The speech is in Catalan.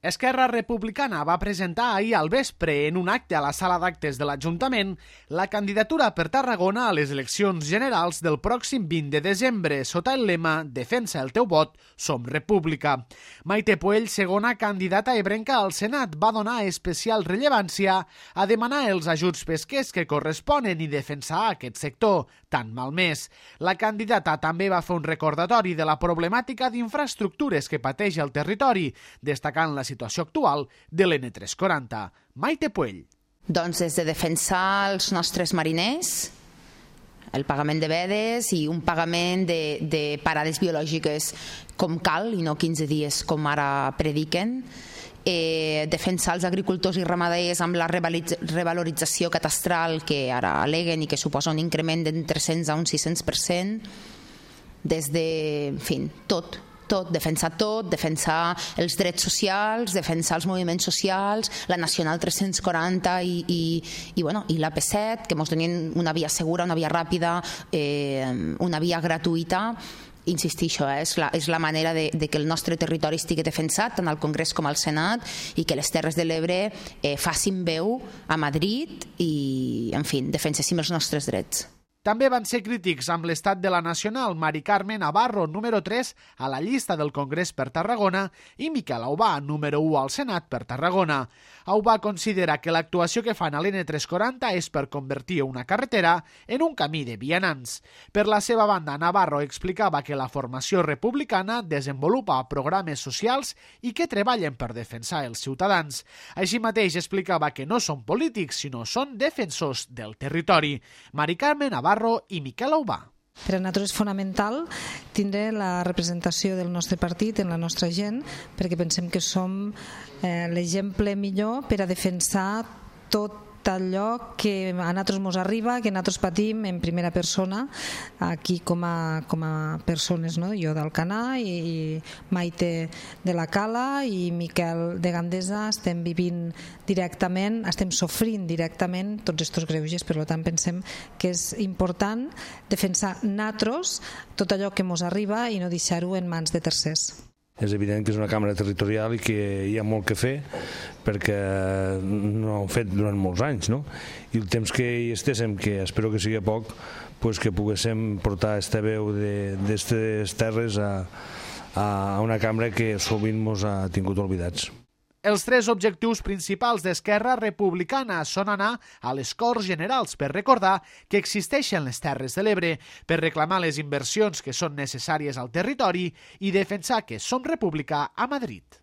Esquerra Republicana va presentar ahir al vespre en un acte a la sala d'actes de l'Ajuntament la candidatura per Tarragona a les eleccions generals del pròxim 20 de desembre sota el lema Defensa el teu vot, som república. Maite Puell, segona candidata ebrenca al Senat, va donar especial rellevància a demanar els ajuts pesquers que corresponen i defensar aquest sector tan malmès. La candidata també va fer un recordatori de la problemàtica d'infraestructures que pateix el territori, destacant la situació actual de l'N340. Maite Puell. Doncs des de defensar els nostres mariners, el pagament de vedes i un pagament de parades biològiques com cal i no 15 dies com ara prediquen, defensar els agricultors i ramaders amb la revalorització catastral que ara aleguen i que suposa un increment d'un 300 a un 600%, des de, en fi, tot, defensar els drets socials, defensar els moviments socials, la Nacional 340 i l'AP7, que ens donin una via segura, una via ràpida, una via gratuïta. Insistir, això és la manera de que el nostre territori estigui defensat tant al Congrés com al Senat i que les Terres de l'Ebre facin veu a Madrid i, en fi, defenséssim els nostres drets. També van ser crítics amb l'estat de la Nacional Mari Carme Navarro, número 3 a la llista del Congrés per Tarragona, i Miquel Aubà, número 1 al Senat per Tarragona. Aubà considera que l'actuació que fan a l'N340 és per convertir una carretera en un camí de vianants. Per la seva banda, Navarro explicava que la formació republicana desenvolupa programes socials i que treballen per defensar els ciutadans. Així mateix explicava que no són polítics, sinó són defensors del territori. Mari Carme Navarro i Miquel Aubà. Per a nosaltres és fonamental tindre la representació del nostre partit en la nostra gent, perquè pensem que som l'exemple millor per a defensar tot allò que a nosaltres ens arriba, que nosaltres patim en primera persona, aquí com a persones, no? Jo d'Alcanar i Maite de la Cala i Miquel de Gandesa estem vivint directament, estem sofrint directament tots aquests greuges, per tant pensem que és important defensar nosaltres tot allò que ens arriba i no deixar-ho en mans de tercers. És evident que és una càmera territorial i que hi ha molt que fer perquè no ho hem fet durant molts anys, no? I el temps que hi estéssim, que espero que sigui poc, pues que poguéssim portar aquesta veu d'aquestes terres a una càmera que sovint ens ha tingut oblidats. Els tres objectius principals d'Esquerra Republicana són anar a les Corts Generals per recordar que existeixen les Terres de l'Ebre, per reclamar les inversions que són necessàries al territori i defensar que som república a Madrid.